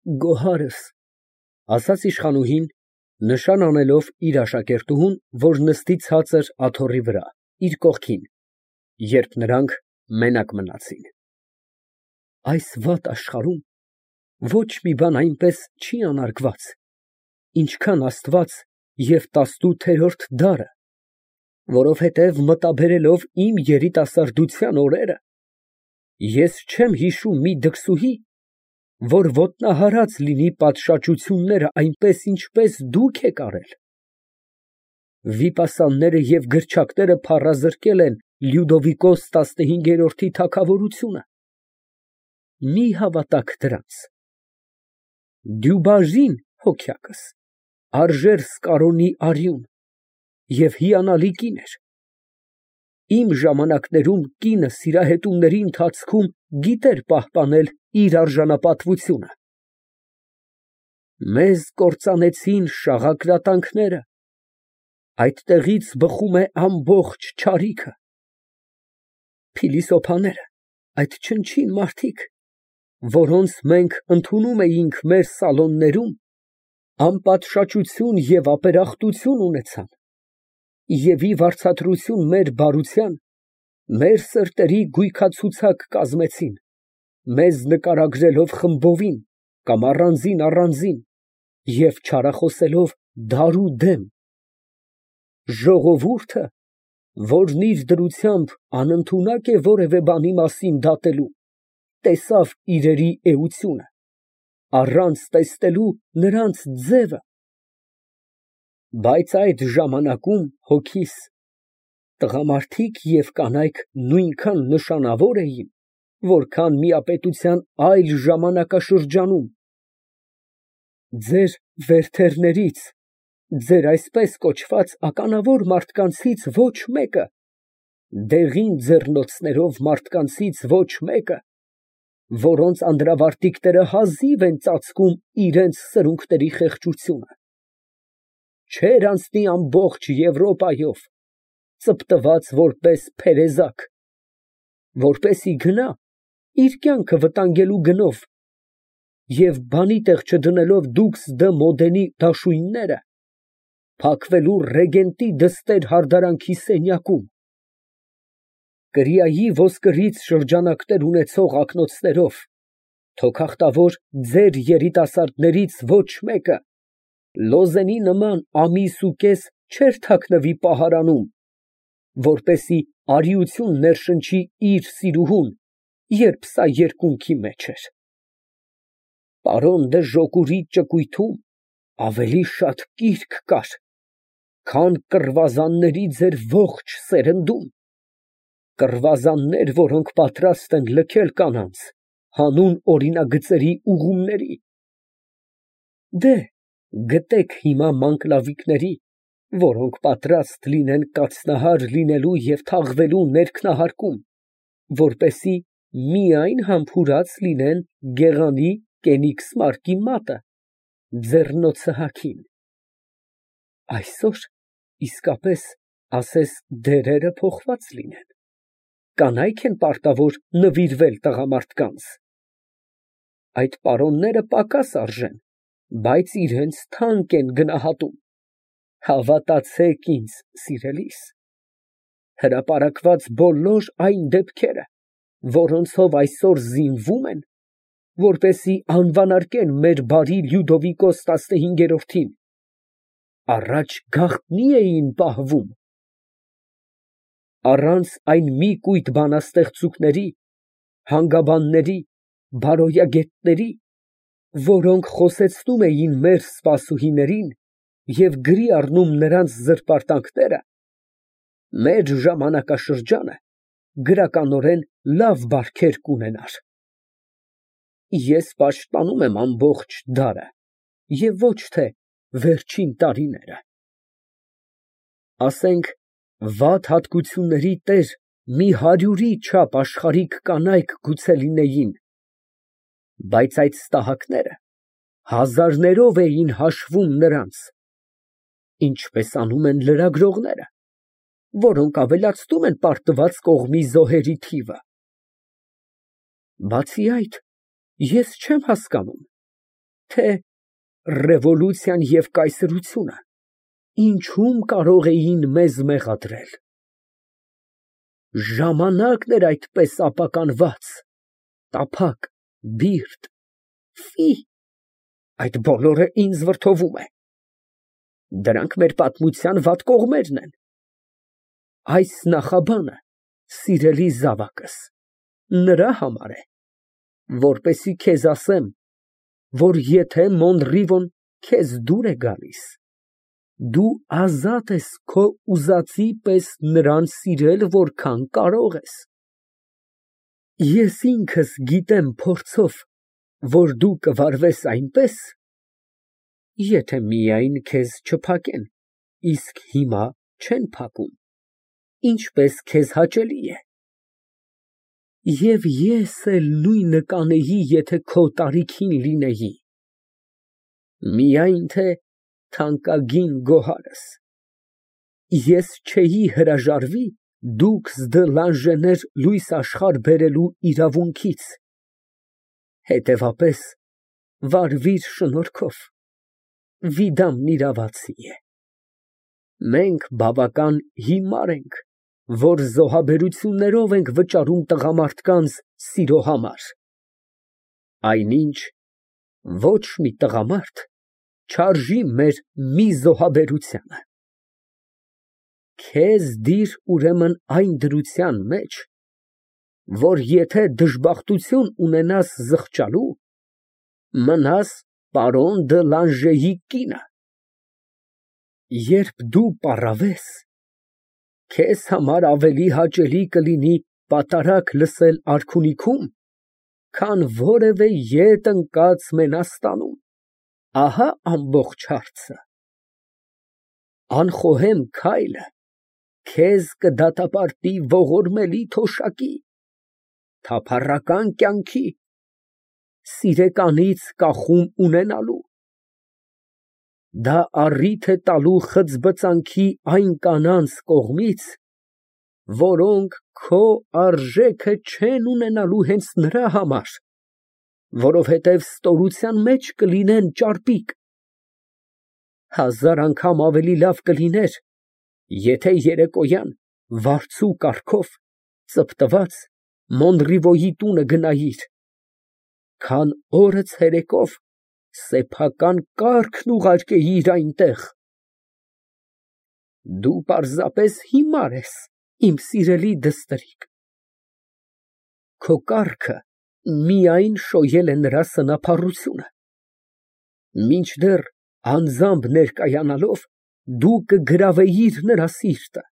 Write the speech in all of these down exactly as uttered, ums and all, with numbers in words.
Գոհարս, ասաց իշխանուհին, նշան անելով իր աշակերտուհուն, որ նստի ցածր աթոռի վրա, իր կողքին, երբ նրանք մենակ մնացին։ Այս վատ աշխարհում ոչ մի բան այնպես չի անարգված, ինչքան Աստված և տասնութերորդ դարը, որովհետև մտաբերելով իմ երիտասարդության օրերը, ես չեմ հիշում մի դքսուհի, որ ոտնահարած լինի պատշաճությունները այնպես, ինչպես դուք եք արել։ Վիպասանները և գրչակները փառազրկել են Լյուդովիկոս տասնհինգերորդի թագավորությունը։ Մի հավատաք դրանց։ Դյուբաժին հոգյակս արժեր Սկարոնի արյուն և հիանալի կին էր։ Իմ ժամանակներում կինը սիրահետումների ընթացքում գիտեր պահպանել իր արժանապատվությունը։ Մեզ կործանեցին շաղակրատանքները, այդտեղից բխում է ամբողջ չարիքը։ Փիլիսոփաները, այդ չնչին մարդիկ, որոնց մենք ընդունում էինք մեր սալոններում, անպատշաճություն և ապերախտություն ունեցան և ի վարձատրություն մեր բարության, մեր սրտերի գույքացուցակ կազմեցին, մեզ նկարագրելով խմբովին կամ առանձին, և չարախոսելով դարუდեմ։ Ժողովուրդը, որն իր դրությամբ անընդունակ է որևէ բանի մասին դատելու, տեսավ իրերի էությունը, առանց տեսնելու նրանց ձևը։ Բայց այդ ժամանակում հոգիս տղամարդիկ և կանայք նույնքան նշանավոր էին, որքան միապետության այլ ժամանակաշրջանում։ Ձեր Վերթերներից, ձեր այսպես կոչված ականավոր մարդկանցից ոչ մեկը, դեղին ձեռնոցներով մարդկանցից ոչ մեկը, որոնց անդրավարտիքները հազիվ են ծածկում իրանց սրունքների խեղճությունը, չէր անցնի ամբողջ Եվրոպայով, ծպտված որպես փերեզակ, որպեսզի գնա իր կյանքը վտանգելու գնով և բանի տեղ չդնելով դուքս դը մոդենի դաշույնները, փակվելու ռեգենտի դստեր հարդարանքի սենյակում, կրիայի ոսկրից շրջանակներ ունեցող ակնոցներով, թոքախտավոր ձեր երիտասարդներից ոչ մեկը լոզենի նման ամիս ու կես չէր թաքնվի պահարանում, որպեսզի արիություն ներշնչի իր սիրուհուն, երբ սա երկունքի մեջ էր։ Պարոն դը Ժոկուրի ճկույթում ավելի շատ կիրք կար, քան կռվազանների ձեր ողջ սերնդում, կռվազաններ, որոնք պատրաստ են լքել կանանց, հանուն օրինագծերի ուղումների։ Գտեք հիմա մանկլավիկների, որոնք պատրաստ լինեն կացնահար լինելու և թաղվելու ներքնահարկում, որպեսզի միայն համբուրած լինեն գեղանի Կենիգսմարկի մատը, ձեռնոցը հագին։ Այսօր իսկապես ասես դերերը փոխված լինեն, կանայք են պարտավոր նվիրվել տղամարդկանց։ Այդ պարոնները պակաս արժեն, բայց իրանց թանկ են գնահատում, հավատացեք ինձ, սիրելիս, հրապարակված բոլոր այն դեպքերը, որոնցով այսօր զինվում են, որպեսզի անվանարկեն մեր բարի Լյուդովիկոս տասնհինգերորդին, առաջ գաղտնի էին պահվում։ Առանց այն մի կույտ բանաստեղծուկների, հանգաբանների, բարոյագետների, որոնք խոսեցնում էին մեր սպասուհիներին և գրի առնում նրանց զրպարտանքները, մեր ժամանակաշրջանը գրականորեն լավ բարքեր կունենար։ Ես պաշտպանում եմ ամբողջ դարը և ոչ թե վերջին տարիները։ Ասենք, վատ հատկությունների տեր մի հարյուրի չափ աշխարհիկ կանայք գուցե լինեին, բայց այդ ստահակները հազարներով էին հաշվում նրանց, ինչպես անում են լրագրողները, որոնք ավելացնում են պարտված կողմի զոհերի թիվը։ Բացի այդ, ես չեմ հասկանում, թե ռևոլյուցիան և կայսրությունը ինչում կարող էին մեզ մեղադրել։ Ժամանակն էր այդպես ապականված, տափակ, բիրտ, ֆի, այդ բոլորը ինձ վրդովում է։ Դրանք մեր պատմության վատ կողմերն են։ Այս նախաբանը, սիրելի զավակս, նրա համար է, որպեսզի քեզ ասեմ, որ եթե Մոնրիվոն քեզ դուր է գալիս, դու ազատ ես քո ուզածի պես նրան սիրել որքան կարող ես։ Ես ինքս գիտեմ փորձով, որ դու կվարվես այնպես, եթե միայն քեզ չփակեն, իսկ հիմա չեն փակում, ինչպես քեզ հաճելի է։ Եվ ես էլ նույնը կանեի, եթե քո տարիքին լինեի, միայն թե թանկագին գոհարս, ես չէի հրաժարվի դուքս դը լանժեներ լույս աշխարհ բերելու իրավունքից, հետևապես վարվիր շնորհքով, Վիդամն իրավացի է։ Մենք բավական հիմար ենք, որ զոհաբերություններով ենք վճարում տղամարդկանց սիրո համար, այնինչ ոչ մի տղամարդ չարժի մեր մի զոհաբերությանը։ Քեզ դիր ուրեմն այն դրության մեջ, որ եթե դժբախտություն ունենաս զղջալու, մնաս պարոն դը Լանժեի կինը։ Երբ դու պառավես, քեզ համար ավելի հաճելի կլինի պատարագ լսել արքունիքում, քան որևէ ետ ընկած Մենաստանում, ահա ամբողջ հարցը։ Անխոհեմ քայլը քեզ կդատապարտի ողորմելի թոշակի, թափառական կյանքի, սիրեկանից կախում ունենալու։ Դա առիթ է տալու խծբծանքի այն կանանց կողմից, որոնք քո արժեքը չեն ունենալու հենց նրա համար, որովհետև ստորության մեջ կլինեն ճարպիկ։ Հազար անգամ ավելի լավ կլիներ, եթե երեկոյան վարձու կառքով ծպտված Մոնրիվոյի տունը գնայիր, քան օրը ցերեկով սեփական կառքն ուղարկեիր այնտեղ։ Դու պարզապես հիմար ես, իմ սիրելի դստրիկ։ Քո կառքը միայն շոյել է նրա սնափառությունը, մինչդեռ անձամբ ներկայանալով դու կգրավեիր նրա սիրտը։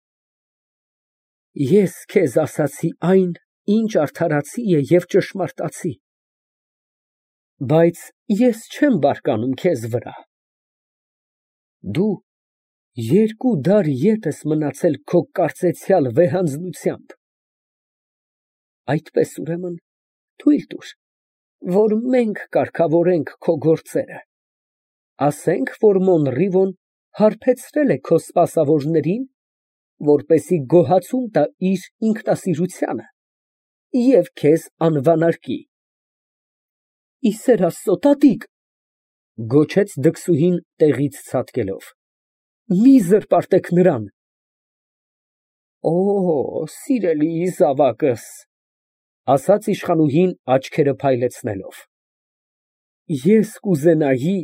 Ես քեզ ասացի այն, ինչ արդարացի է և ճշմարտացի, բայց ես չեմ բարկանում քեզ վրա։ Դու երկու դար ետ ես մնացել քո կարծեցյալ վեհանձնությամբ։ Այդպես ուրեմն թույլ տուր, որ մենք կարգավորենք քո գործերը, ասենք, որ Մոնրիվոն հարբեցրել է քո սպասավորներին, որպեսզի գոհացում տա իր ինքնասիրությանը և քեզ անվանարկի։ Ի սեր Աստծո, տատիկ, ֊ դքսուհին տեղից ցատկելով, ֊ մի զրպարտեք նրան։ Օ, սիրելի զավակս, ֊ ասաց իշխանուհին աչքերը փայլեցնելով, ֊ ես կուզենայի,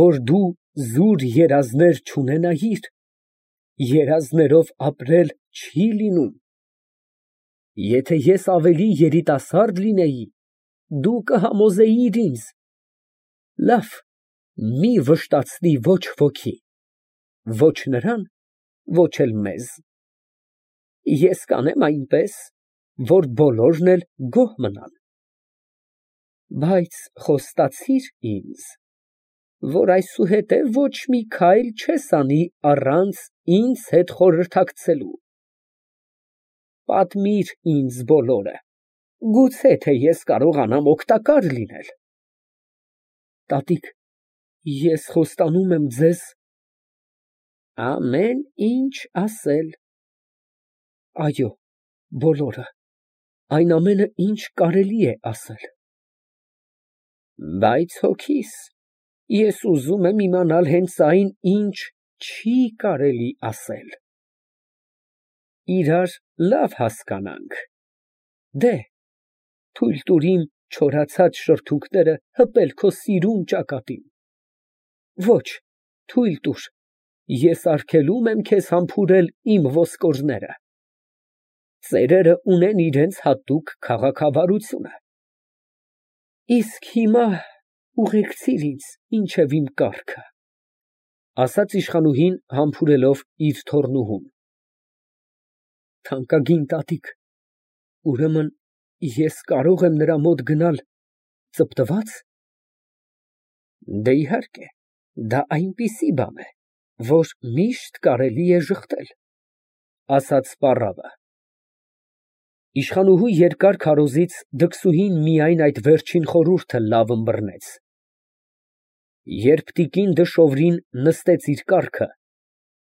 որ դու զուր երազներ չունենայիր, երազներով ապրել չի լինում։ Եթե ես ավելի երիտասարդ լինեի, դու կհամոզեիր ինձ։ Լավ, մի վշտացնի ոչ ոքի, ոչ նրան, ոչ էլ մեզ։ Ես կանեմ այնպես, որ բոլորն էլ գոհ մնան։ Բայց խոստացիր ինձ, որ այսուհետև ոչ մի քայլ չես անի առանց ինձ հետ խորհրդակցելու։ Պատմիր ինձ բոլորը, գուցե թե ես կարողանամ օգտակար լինել։ Տատիկ, ես խոստանում եմ ձեզ ամեն ինչ ասել։ Այո, բոլորը, այն ամենը, ինչ կարելի է ասել։ Բայց հոգիս, ես ուզում եմ իմանալ հենց այն, ինչ չի կարելի ասել։ Իրար լավ հասկանանք։ Դե, թույլ տուր իմ չորացած շրթունքները հպել քո սիրուն ճակատին։ Ոչ, թույլ տուր, ես արգելում եմ քեզ համբուրել իմ ոսկորները։ Ծերերը ունեն իրենց հատուկ քաղաքավարությունը։ Իսկ հիմա ուղեկցիր ինձ մինչև իմ կառքը, ասաց իշխանուհին համբուրելով իր թոռնուհուն։ Թանկագին տատիկ, ուրեմն ես կարող եմ նրա մոտ գնալ ծպտվա՞ծ։ Դե իհարկե, դա այնպիսի բան է, որ միշտ կարելի է ժխտել, ասաց պառավը։ Իշխանուհու երկար քարոզից դքսուհին միայն այդ վերջին խորհուրդը լավ ըմբռնեց։ Երբ տիկին Դշովրին նստեց իր կառքը,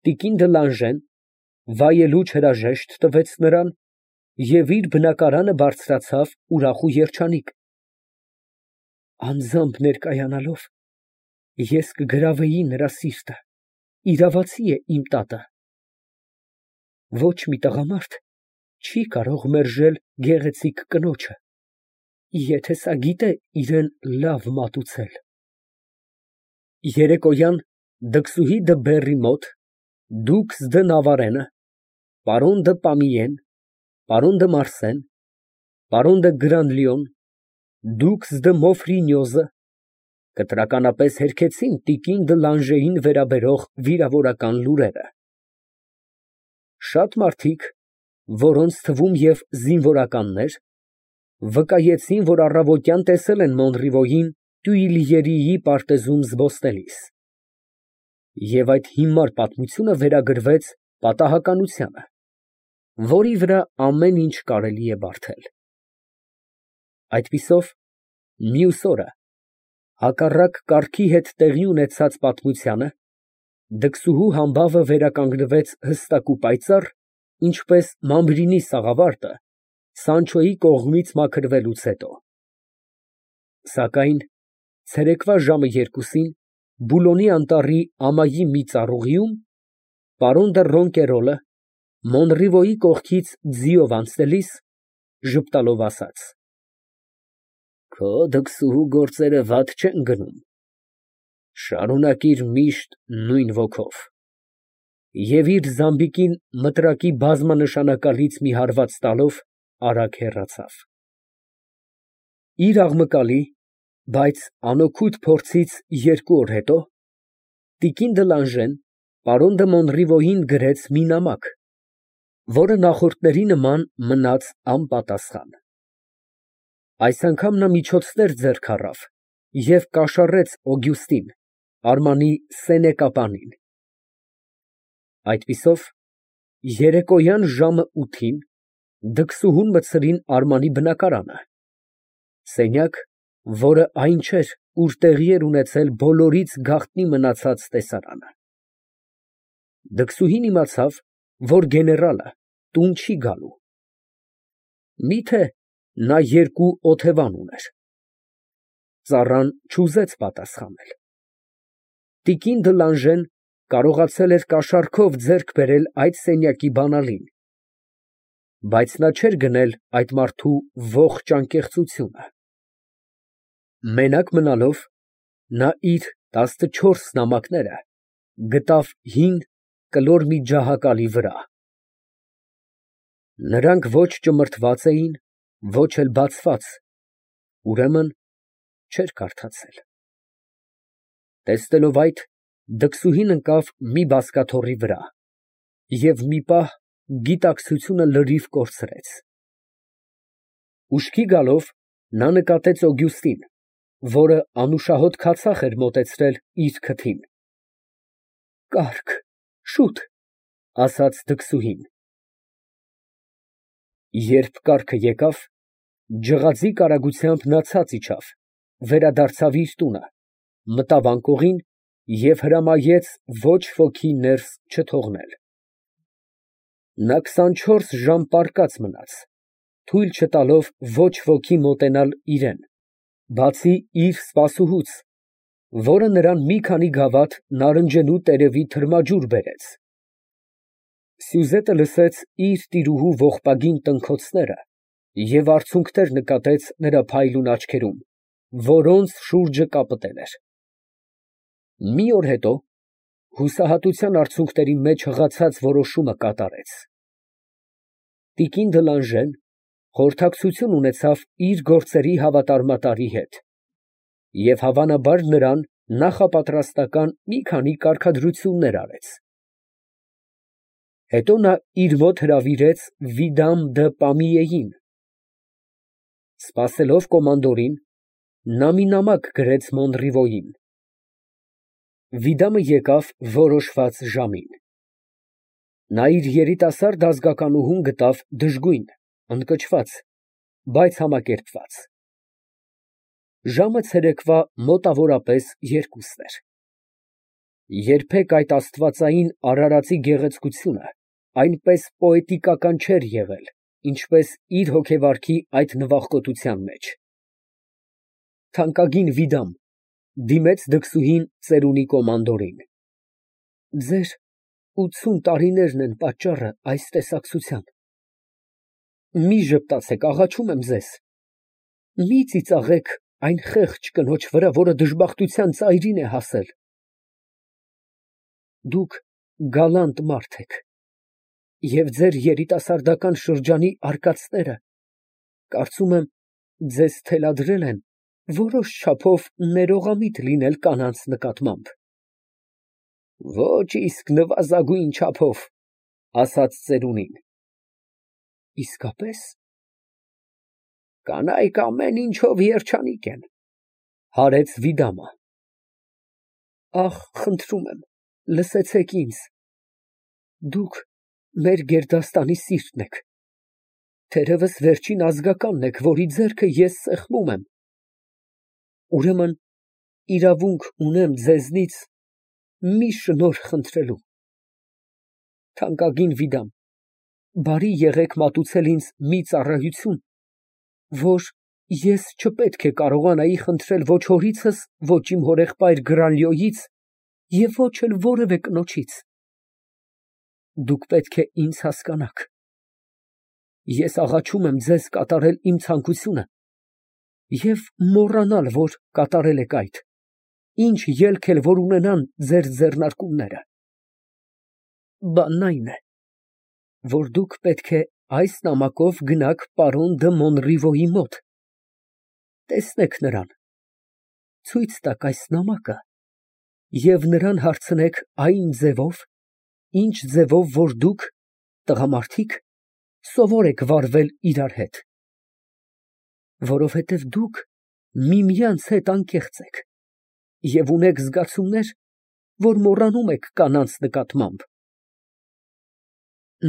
տիկին Դլանժեն վայելուչ հրաժեշտ տվեց նրան և իր բնակարանը բարձրացավ ուրախ ու երջանիկ։ Անձամբ ներկայանալով, ես կգրավեի նրա սիրտը, իրավացի է իմ տատը։ Ոչ մի տղամարդ չի կարող մերժել գեղեցիկ կնոջը, եթե սա գիտե իրան լավ մատուցել։ Երեկոյան դքսուհի դը Բեռի մոտ, դուքս դը Նավարենը, պարոն դը Պամիեն, պարոն դը Մարսեն, պարոն դը Գրանլյոն, դուքս դը Մոֆրինյոզը կտրականապես հերքեցին տիկին Դլանժեին վերաբերող վիրավորական լուրերը։ Շատ մարդիկ, որոնց թվում և զինվորականներ, վկայեցին, որ առավոտյան տեսել են Մոնրիվոյին Տյուիլյերիի պարտեզում զբոսնելիս, և այդ հիմար պատմությունը վերագրվեց պատահականությանը, որի վրա ամեն ինչ կարելի է բարդել։ Այդպիսով, մյուս օրը, հակառակ կարգի հետ տեղի ունեցած պատմությանը, դքսուհու համբավը վերականգնվեց հստակ ու պայծառ, ինչպես Մամրինի սաղավարտը Սանչոյի կողմից մաքրվելուց հետո։ Սակայն ցերեկվա ժամը երկուսին Բուլոնի անտառի ամայի մի ծառուղիում պարոն դը Ռոնկերոլը Մոնրիվոյի կողքից ձիով անցնելիս ժպտալով ասաց. Քո դքսուհու գործերը վատ չեն գնում, շարունակիր միշտ նույն ոգով։ Եվ իր զամբիկին մտրակի բազմանշանակալից մի հարված տալով արագ հեռացավ։ Իր աղմկալի, բայց անօգուտ փորձից երկու օր հետո տիկին Դլանժեն պարոն դը Մոնրիվոյին գրեց մի նամակ, որը նախորդների նման մնաց անպատասխան։ Այս անգամ նա միջոցներ ձեռք առավ և կաշառեց Օգյուստին, Արմանի սենեկապանին։ Այդպիսով, երեկոյան ժամը ութին դքսուհուն մտցրին Արմանի բնակարանը, սենյակ, որը այն չէր, ուր տեղի էր ունեցել բոլորից գաղտնի մնացած տեսարանը։ Դքսուհին իմացավ, որ գեներալը տուն չի գալու։ Միթե նա երկու օթևան ուներ։ Ծառան չուզեց պատասխանել։ Տիկին Դլանժեն կարողացել էր կաշառքով ձեռք բերել այդ սենյակի բանալին, բայց նա չէր գնել այդ մարդու ողջ անկեղծությունը։ Մենակ մնալով, նա իր տասնչորս նամակները գտավ հին կլոր մի ջահակալի վրա։ Նրանք ոչ ճմրթված էին, ոչ էլ բացված, ուրեմն չէր կարդացել։ Տեսնելով այդ, դքսուհին ընկավ մի բազկաթոռի վրա և մի պահ գիտակցությունը լրիվ կորցրեց։ Ուշքի գալով, նա նկատեց Օգյուստին, որը անուշահոտ քացախ էր մոտեցրել իր քթին։ Կառք, շուտ, ասաց դքսուհին։ Երբ կառքը եկավ, ջղաձիգ արագությամբ նա ցած իջավ, վերադարձավ իր տունը, մտավ անկողին և հրամայեց ոչ ոքի ներս չթողնել։ Նա քսանչորս ժամ պառկած մնաց, թույլ չտալով ոչ ոքի մոտենալ իրան, Բացի իր սպասուհուց, որը նրան մի քանի գավաթ նարնջելու տերևի թրմաջուր բերեց, Սյուզետը լսեց իր տիրուհու ողբագին տնքոցները և արցունքներ նկատեց նրա փայլուն աչքերում, որոնց շուրջը կապտել էր։ Մի օր հետո հուսահատության արցունքների մեջ հղացած որոշումը կատարեց. տիկին Դլանժեն խորհրդակցություն ունեցավ իր գործերի հավատարմատարի հետ և հավանաբար նրան նախապատրաստական մի քանի կարգադրություններ արեց։ Հետո նա իր մոտ հրավիրեց Վիդամ դը Պամիեին։ Սպասելով կոմանդորին, նա մի նամակ գրեց Մոնրիվոյին։ Վիդամը եկավ որոշված ժամին։ Նա իր երիտասարդ ազգականուհուն գտավ դժգույն, ընկճված, բայց համակերպված։ Ժամը ցերեկվա մոտավորապես երկուսն էր։ Երբեք այդ աստվածային արարածի գեղեցկությունը այնպես պոետիկական չէր եղել, ինչպես իր հոգեվարքի այդ նվախկոտության մեջ։ Թանկագին Վիդամ, ֊ դիմեց դքսուհին ծերունի կոմանդորին, ֊ ձեր ութսուն տարիներն են պատճառը այս տեսակցության։ Մի ժպտացեք, աղաչում եմ ձեզ, մի ծիծաղեք այն խեղճ կնոջ վրա, որը դժբախտության ծայրին է հասել։ Դուք գալանտ մարդ եք, և ձեր երիտասարդական շրջանի արկածները, կարծում եմ, ձեզ թելադրել են որոշ չափով ներողամիտ լինել կանանց նկատմամբ։ Ոչ իսկ նվազագույն չափով, ֊ ասաց ծերունին։ Իսկապե՞ս։ Կանայք ամեն ինչով երջանիկ են, ֊ հարեց Վիդամը։ Ախ, խնդրում եմ, լսեցեք ինձ, դուք մեր գերդաստանի սիրտն եք, թերևս վերջին ազգականն եք, որի ձեռքը ես սեղմում եմ, ուրեմն իրավունք ունեմ ձեզնից մի շնորհ խնդրելու։ Թանկագին Վիդամ, բարի եղեք մատուցել ինձ մի ծառայություն, որ ես չպետք է կարողանայի խնդրել ոչ հորիցս, ոչ իմ հորեղբայր Գրանլյոյից և ոչ էլ որևէ կնոջից։ Դուք պետք է ինձ հասկանաք։ Ես աղաչում եմ ձեզ կատարել իմ ցանկությունը և մոռանալ, որ կատարել եք այդ, ինչ ելք էլ որ ունենան ձեր ձեռնարկումները։ Բանն այն է, որ դուք պետք է այս նամակով գնաք պարոն դը Մոնրիվոյի մոտ, տեսնեք նրան, ցույց տաք այս նամակը և նրան հարցնեք այն ձևով, ինչ ձևով որ դուք, տղամարդիկ, սովոր եք վարվել իրար հետ, որովհետև դուք միմյանց հետ անկեղծ եք և ունեք զգացումներ, որ մոռանում եք կանանց նկատմամբ։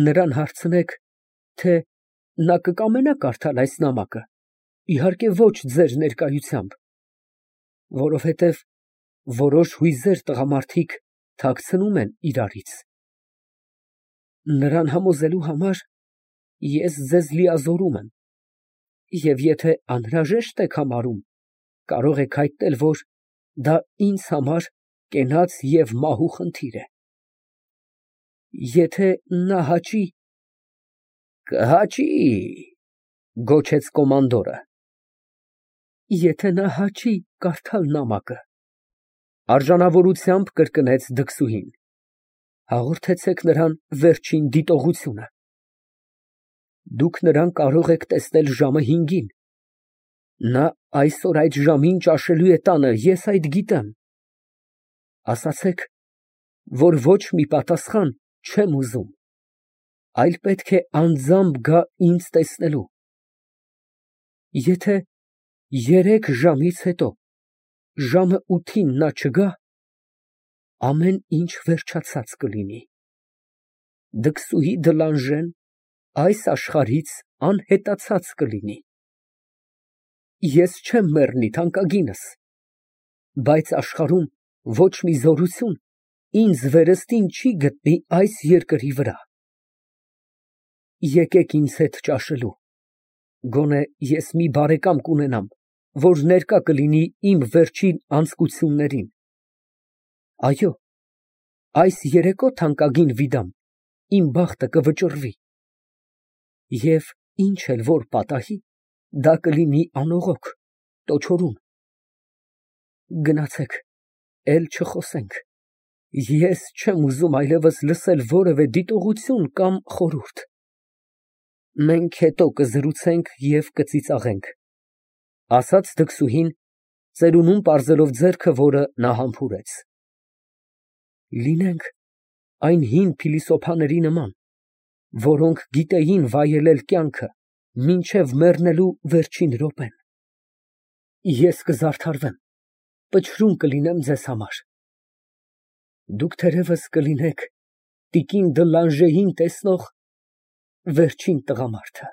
Նրան հարցնեք, թե նա կկամենա կարդալ այս նամակը, իհարկե ոչ ձեր ներկայությամբ, որովհետև որոշ հույզեր տղամարդիկ թաքցնում են իրարից։ Նրան համոզելու համար ես ձեզ լիազորում եմ, և եթե անհրաժեշտ եք համարում, կարող եք հայտնել, որ դա ինձ համար կենաց և մահու խնդիր է։ Եթե նա հաճի… ֊ Կհաճի, ֊ գոչեց կոմանդորը։ Եթե նա հաճի կարդալ նամակը, ֊ արժանավորությամբ կրկնեց դքսուհին, ֊ հաղորդեցեք նրան վերջին դիտողությունը։ Դուք նրան կարող եք տեսնել ժամը հինգին, նա այսօր այդ ժամին ճաշելու է տանը, ես այդ գիտեմ։ Ասացեք, որ ոչ մի պատասխան չեմ ուզում, այլ պետք է անձամբ գա ինձ տեսնելու։ Եթե երեք ժամից հետո ժամը ութին նա չգա, ամեն ինչ վերջացած կլինի։ Դքսուհի Դլանժեն այս աշխարհից անհետացած կլինի։ Ես չեմ մեռնի, թանկագինս, բայց աշխարհում ոչ մի զորություն ինձ վերստին չի գտնի այս երկրի վրա։ Եկեք ինձ հետ ճաշելու, գոնե ես մի բարեկամ կունենամ, որ ներկա կլինի իմ վերջին անձկություններին։ Այո, այս երեկո, թանկագին Վիդամ, իմ բախտը կվճռվի, և ինչ էլ որ պատահի, դա կլինի անողոք, տոչորում։ Գնացեք, էլ չխոսենք, ես չեմ ուզում այլևս լսել որևէ դիտողություն կամ խորհուրդ։ Մենք հետո կզրուցենք և կծիծաղենք, ֊ ասաց դքսուհին, ծերունուն պարզելով ձեռքը, որը նա համբուրեց։ Լինենք այն հին փիլիսոփաների նման, որոնք գիտեին վայելել կյանքը մինչև մեռնելու վերջին րոպեն։ Ես կզարդարվեմ, պչրուն կլինեմ ձեզ համար, դուք թերևս կլինեք տիկին դը Լանժեին տեսնող վերջին տղամարդը։